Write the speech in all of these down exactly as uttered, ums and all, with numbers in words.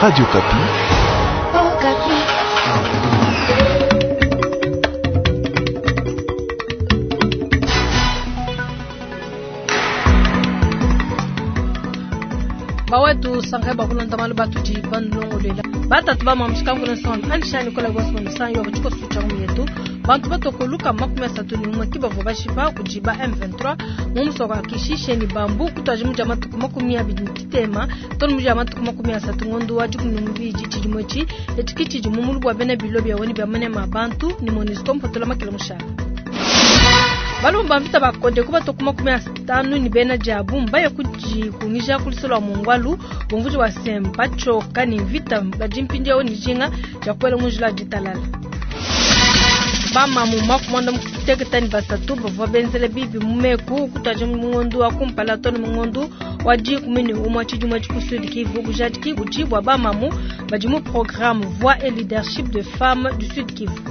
Radio Okapi. Okapi. Bawetu sangai bakulonda malu batudi banulongolela batatu bamwamushika nsonda anishani kola gwasonda yo bachiko sucha myetu bantu batokoluka makumi asatu ni umwe kibavo bashipa kujiba M vingt-trois mu musoko wa Kishishe ni bambu kutwaje muja matuku makumi abiri kitema tonu muja matuku makumi asatu ngondo wa jikumi n'ubiji chijimwechi etikichi jimumulu bwa bene bilo bya woni bya manema bantu ni MONUSCO mpotola makela mushaka balumba mvita bakonde kuba tokuma kumi atanu ni bena jabu mbaye kujikungija kulisola mungwalu bumvuji wa semba choka ni vita bajimpindia oni jinga ja kwela munjila jitalala bama mu makumanda mukuteketani basatu bavwa benzele bibi mumeku kutaje mungondu wa kumpala tonu mungondu wa jikumi umwa chijumwa chikusudi Kivu kujadiki kujibwa bamamu bajimu programme voix et leadership de femmes du Sud Kivu.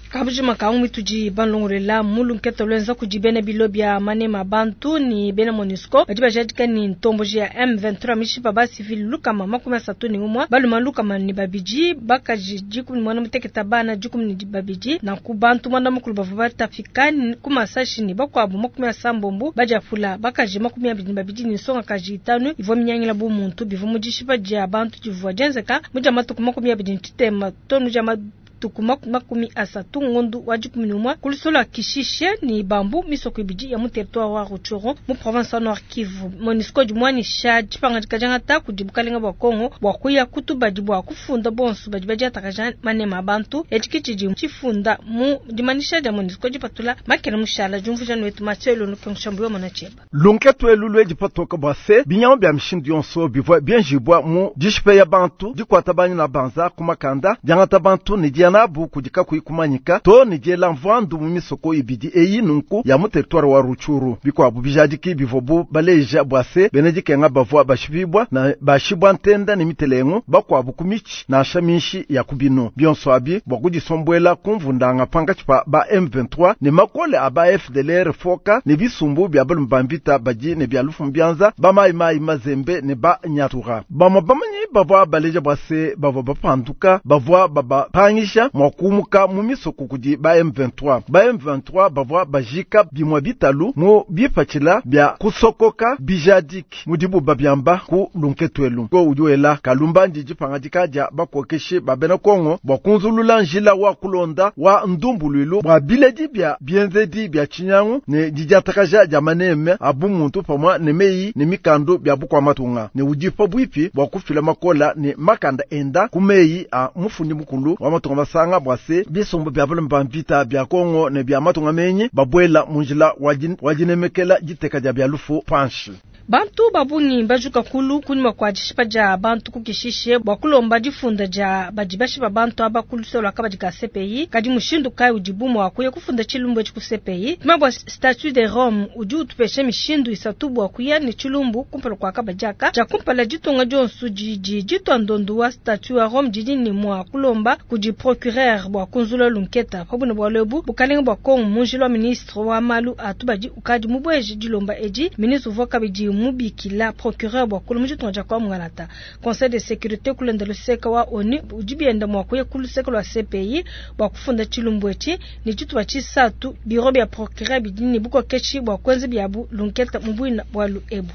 Kabujima kaumi tuji banlongorela mulu nketo lwenza kujibene bilo bya manema bantu ni bena MONUSCO badi bajadika ni ntomboji ya M vingt-trois mishipa ba civil lukama makumi asatu ni umwa baluma lukama ni babiji bakaji jikumi mwana muteketa bana jikumi ni babiji na kubantu mwana mukulu bavu batafika kumasashi ni bakwabu makumi asambombo bajafula bakaji makumi abiri ni babiji ni nsonga kaji itanu ivo minyangila bu muntu bivu mujishipa jia bantu jivua jenzeka muja matuku makumi abiri ni titema tonu jama tukuma makumi asatu ngondu wa jikumi n'umwe kulisola Kishishe ni bambu misoko ibidi ya mu territoire wa Rutshuru mu province ya Nord Kivu. MONUSCO jumwanisha jipanga jikajanga kujibukalenga bwa Kongo bwa kuya kutubadi bwa kufunda bonso badi badiatakaja manema bantu echikichiji chifunda mu dimanisha dia MONUSCO jipatula makela mushala jumvuja nwetu Mathieu Lunkenshambu yo monacheba lunketu elulu ejipatoka bwa se binyama bya mishindu yonso bivwa bienjibwa mu dishipe ya bantu dikwata banyi na banza kumakanda diangata bantu ni diana nabu kudika kuikumanyika to ni diela mvandu mu misoko ibidi eyi nunku ya mu territoire wa Rutshuru bikwabu bijadiki bivobu baleja bwase benedikenga bavwa bashibibwa na bashibwa ntenda ni mitelengo bakwabu kumichi na shaminshi ya kubino bionso abi bwa kudisombwela kumvundanga panga chipa ba M vingt-trois ne makole aba F D L R foka ne bisumbu bya balumbambita baji ne bya lufu mbyanza ba mai mai mazembe ne ba nyatura bamwa bamanyi bavwa baleja bwase bavwa bapanduka bavwa baba pangisha mwakumuka mu misoko kudi ba M vingt-trois ba M vingt-trois bavwa bajika bimwa bitalu mu bipachila bya kusokoka bijadiki mudibu babyamba ku lunketwelu ko ujuela kalumba ndiji pangadika ja bakokeshe babena Kongo bwa kunzulula njila wa kulonda wa ndumbulwilu bwa biledi bya bienzedi bya chinyangu ne dijatakaja ja maneme abu muntu pamwa ne meyi ne mikando bya bukwa matunga ne udipa bwipi bwa kufila makola ne makanda enda kumeyi a mufundi mukulu wa matunga sanga bwase bisumbu bya balumba mvita bya Kongo ne bya matunga menyi babwela munjila wajinemekela jiteka ja bya lufu panshi bantu babungi bajuka kulu kunyuma kwa dishipa ja bantu kukishishe bwa kulomba difunda ja badibashi ba bantu aba kulusola kabadi ka C P I kadi mushindu kai udibumu akuye kufunda chilumbu echi ku C P I mabwa statut de Rome udi utupeshe mishindu isatu bwa kuya ni chilumbu kumpala kwa kabajaka ja kumpala jitonga jonsu jiji jitondondu wa statut wa Rome jiji ni mwa kulomba kuji procureur bwa kunzula lunketa pabuna bwa lebu bukalenga bwa Kongo munjilo ministre wa malu atubadi ukadi mubweje dilomba eji ministre uvwa kabidi mubikila procureur bwa kulu mujitonga kwa mungalata conseil de sécurité kulenda luseka wa ONU ujibienda mwa kuye kuluseka lwa C P I bwa kufunda chilumbu echi ni chituba chisatu biro bya procureur bidini buko kechi bwa kwenzi byabu lunketa mubwina bwa luebu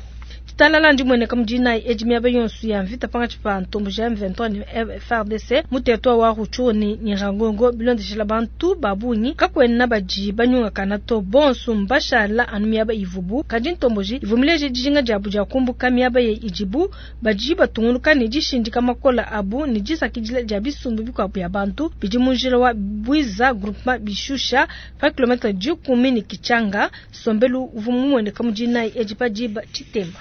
talala ndi mwene kamujina ejimia bayonsu ya mvita panga chipa ntombo ja M vingt-trois ni F R D C mutetwa wa Rutshuru ni Nyiragongo bilondeshela bantu babunyi kakwena baji banyunga kana to bonsu mbashala anu miaba ivubu kadi ntomboji ivumileje dijinga jabu ja kumbuka miaba ye ijibu baji batunguluka ni jishindika makola abu ni jisakidila ja bisumbu bikwabu ya bantu bidi munjila wa Bwiza groupement bishusha pa kilometre jikumi ni Kichanga sombelu uvumu mwene kamujina ejipa jiba chitemba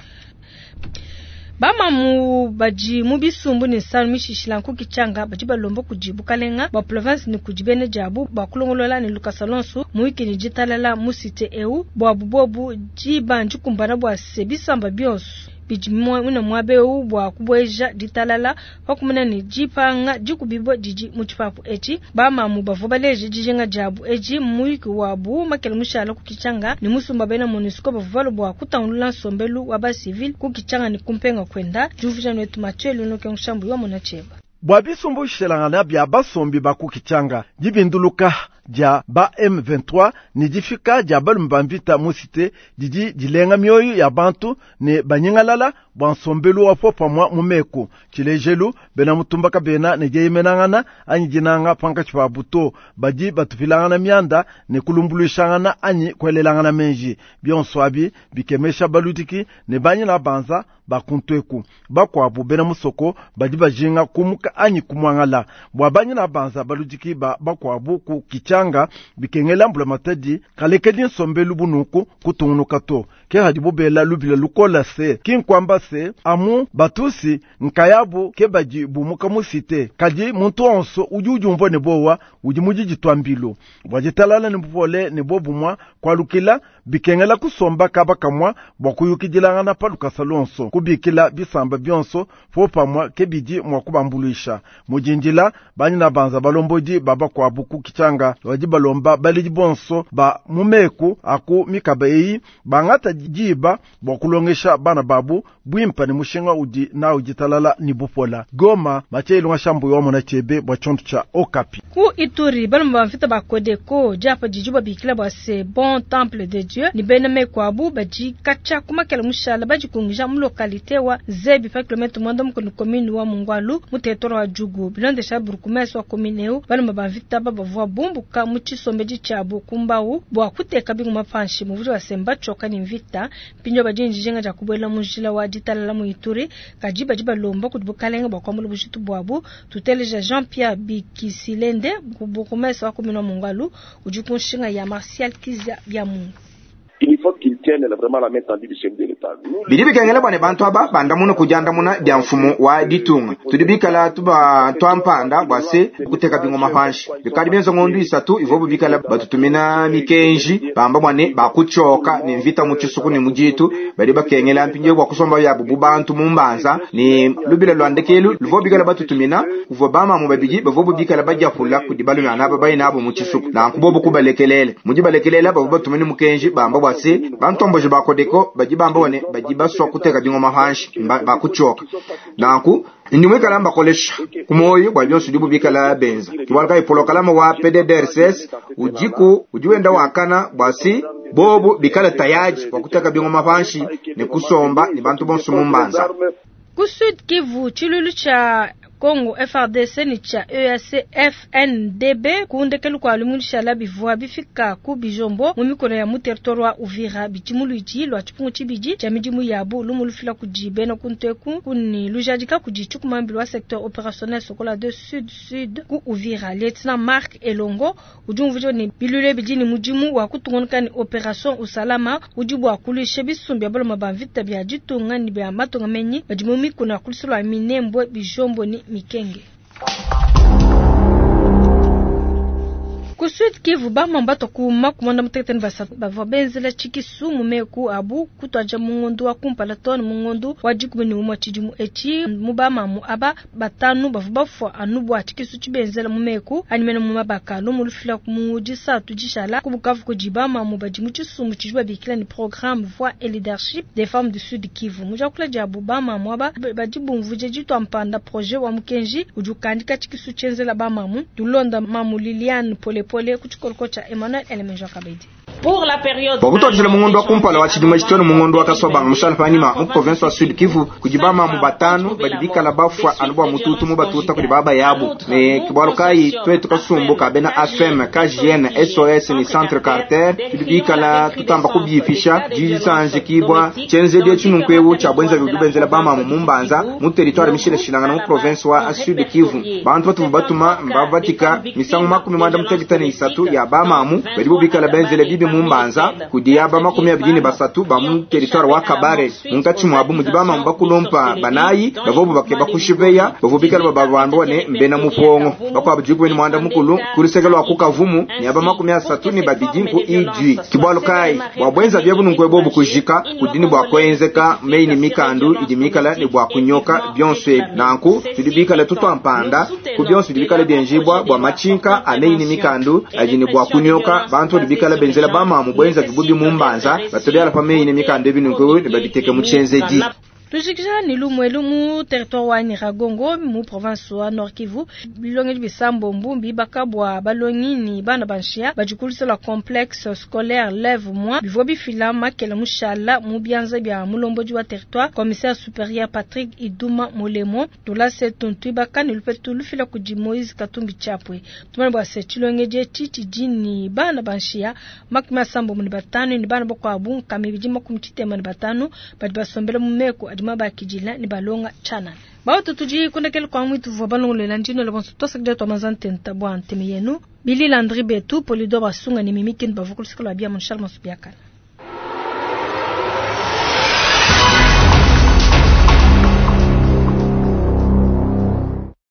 Bamamu baji mubisumbu ni sanu mishishila nkuki changa baji balombo kujibu kalenga ba province ni kujibene jabu ba kulongolola ni Lucas Alonso muiki ni jitalala musite eu bwa bubobu jiba njikumbana bwa sebisamba bionso bidi muine muaba eu bua kubueja ditalala pa kumona ne dipanga dikubibua didi mu tshipapu etshi. Bamamu bavua baleje dijinga diabu edi mu muyuki wabu makele mushala ku Kitshanga ne musumba bena MONUSCO bavua balue bua kutangulula nsombelu wa ba civil ku Kitshanga ne kumpenga kwenda. Diumvuija netu Mathieu Lunoke Nshambu wa mona tshieba. Bua bisumbu shelangana bia basombi ba ku Kitshanga, dibinduluka dia ba M vingt-trois ne difika dia balume ba mvita mu cité didi dilenga mioyo ya bantu ne banyingalala bua nsombelu wa popamwa mu meku. Tshilejelu, bena mutumba kabena ne dieyemenangana anyi dinanga pankatshi pa buto, badi batupilangana mianda ne kulumbuluishangana anyi kuelelangana menji. Bionso abi bikemesha baludiki ne banyina banza bakuntweku. Bakuabu bena musoko badi bajinga kumuka anyi kumwangala. Bua banyina banza baludiki ba bakuabu ku Kitshanga bikengela mbula matadi kalekedi nsombelu bunuku kutungunuka to. Ke hadibu bela lubila lukola se kinkwamba se amu batusi nkayabu ke badi bumuka mu cité. Kadi muntu onso udi udiumvua ne bowa udi mudidi twambilu. Bua ditalala ne bupole ne bobumwa kwalukila bikengela kusomba kaba kamwa bua kuyukidilangana pa lukasa luonso kubikila bisamba bionso popamwa ke bidi mwa kubambuluisha. Mujindila banyina banza balombodi baba kwabu ku Kitshanga badi balomba baledi bonso ba mumeku aku mikaba eyi bangata diba bua kulongesha bana babu bwimpa ne mushinga udi na uditalala ni bupola. Goma Mathieu Ilunga Shambu wa mona chebe bua tshonto tsha Okapi. Ku Ituri balomba ba mvita ba Codeco diapa didi babikila bua se Bon Temple de Dieu ni bena mekwabu badi kacha kumakela mushala badi kungija mu localité wa Zebi pa kilomètre mwanda mukulu commune wa Mungwalu mu territoire wa Djugu. Bilondesha burkumese wa commune eu balomba ba mvita ba bavua bumbuka mu tshisombedi tshiabu kumbau bua kuteka bingoma panshi mu wa semba tchoka ni mvita pinyo badi njinga ja kubwela mu njila wa ditalala mu Ituri kadi badi balomba kudi bukalenga bua kwambula bujitu bwabu. Tuteleja Jean-Pierre Bikisilende burkumese wa commune wa Mungwalu udi kunshinga ya Martial Kizia bya Mungu. Il faut qu'il tienne vraiment la main tendue du chef de l'État. Bidi bikengela bwane bantu aba bandamuna kujandamuna bya mfumo wa ditunga. Tudi bikala tuba twampanda bwa se kuteka bingoma panshi. Bikali benzo ngondu isatu ivobu bikala batutumina mikenji bamba bwane bakuchoka ni mvita mu chisuku ni mujitu bali bakengela mpinje bwa kusomba ya bubu bantu mumbanza ni lubila lwandekelu luvo bikala batutumina kuvo bama mu babiji bavobu bikala bajapula kudibalu na naba bayina abo mu chisuku na nkubobu kubalekelele. Mujibalekelela bavo batumini mukenji bamba bwa se bantomboje ba Codeco baji bamba bone baji baswa kuteka bingoma panshi bakuchoka nanku ndimwe kalamba kolesha kumoyo bwa byonso dibu bikala benza kibalaka ipolo kalama wa P D D R C S ujiku ujiwenda wakana bwasi bobu bikala tayaji kwa kuteka bingoma panshi ne kusomba ni bantu bonso mumbanza. Ku Sud Kivu chilulu cha Congo F R D C ni cha E A C F N D B kuundekelu kwa limulisha la bivua bifika ku Bijombo mu mikono ya mu territoire wa Uvira bichimuluji lwa chipungu chibiji cha midimu yabu lumulufila kujibe na kunteku kuni lujadika kujichukumambi lwa secteur opérationnel Sokola deux Sud Sud ku Uvira. Lieutenant Marc Elongo ujumvujo ni bilule bijini mudimu wa kutungonika ni opération usalama ujibu wa kulishe bisumbi ya baloma ba vita bya jitunga ni bya matunga menyi badimu mikono ya kulisulwa minembwe Bijombo ni Mikenge. Ku Sud Kivu bamamba tokuma kumanda muteketeni basatu bavua benzela tshikisu mu meku abu kutwaja mungondu wa kumpala tone mungondu wa dikumi ne umue tshidimu etshi mu bamamu aba batanu bavua bafua anu bua tshikisu tshibenzela mu meku animene mu mabaka lumu lufila mu disatu dishala ku Bukavu kudi bamamu badi mu tshisumbu tshidi babikila ni programme voix et leadership des femmes du Sud Kivu. Mu diakula diabu bamamu aba badi bumvuje ditua mpanda projet wa mukenji udi ukandika tshikisu tshienzela bamamu tulonda mamu Liliane Pole Pole kuchikoloko cha Emmanuel Elemenjo Kabedi. Pour la période Bokutwajile mungondo wa kumpala wa chidima chitoni mungondo wa kaswabanga mushala panima mu province wa Sud Kivu kujibama mu batanu badibikala bafwa anubwa mututu mu batuta kuli baba yabu ne kibwalo kai twetu kasumbu ka bena A F M K J N S O S ni Centre Carter tudibikala tutamba kubyifisha jisanje kibwa chenze die chinunkwewu cha bwenza bidubenzela bama mu mumbanza mu territoire mishile shilanga mu province wa Sud Kivu bantu batu batuma mbabatika misango makumi mwanda mutekitani isatu ya bamamu badibikala benzele bibi mu Mbanza kudi aba makumi abidi ne basatu ba mu territoire wa Kabare munkatshi muabu mudi bamamu bakulompa banayi bavobu bakeba kushipeya bavua bikala bababambua ne mbena mupongo bakuabu dikumi ne muanda mukulu ku luseke lua ku Kavumu ne aba makumi asatu ne babidi ku Idui kibwalu kayi bua bwenza biebu nunku ebobu kujika kudi ne bua kuenzeka meyi ne mikandu idi mikala ne bua kunyoka bionso ebi nanku tudi bikala tutwampanda ku bionso bidi bikala bienjibwa bua matshinka a meyi ne mikandu adi ne bua kunyoka bantu badi bikala benzela bamamu bwenza bibubi mu Mbanza batobiala pa meyi ne mikandu ebi nunku ne babiteke mu tshienzedi. Tujikija ni lumwelu mu territoire wa Nyiragongo mu province wa Nord Kivu bilongedi bisambo mbumbi bakabwa balongi ni bana banshia bajikulisa la complexe scolaire lève moi bivua bifila makela mushala mu bianza bia mulomboji wa territoire commissaire supérieur Patrick Iduma Molemo tulase tuntu bakani lupetu lufila kudi Moise Katumbi Chapwe tumane bwa se tshilongedi tshitshi jini bana banshia makumi asambo mu batanu ni bana bakwabu nkami bidi makumi tshitema ni batanu badi basombela mu meko adi mabakidila ni balonga chana baoto tudi kundekele kwa mwitu vwa balongolela ndino le bonso tosakida to mazantenta bwa nteme yenu Billy Landry Betu Polidor Basunga ni mimikini bavukulusika lwa bia Monchal Masubiakala.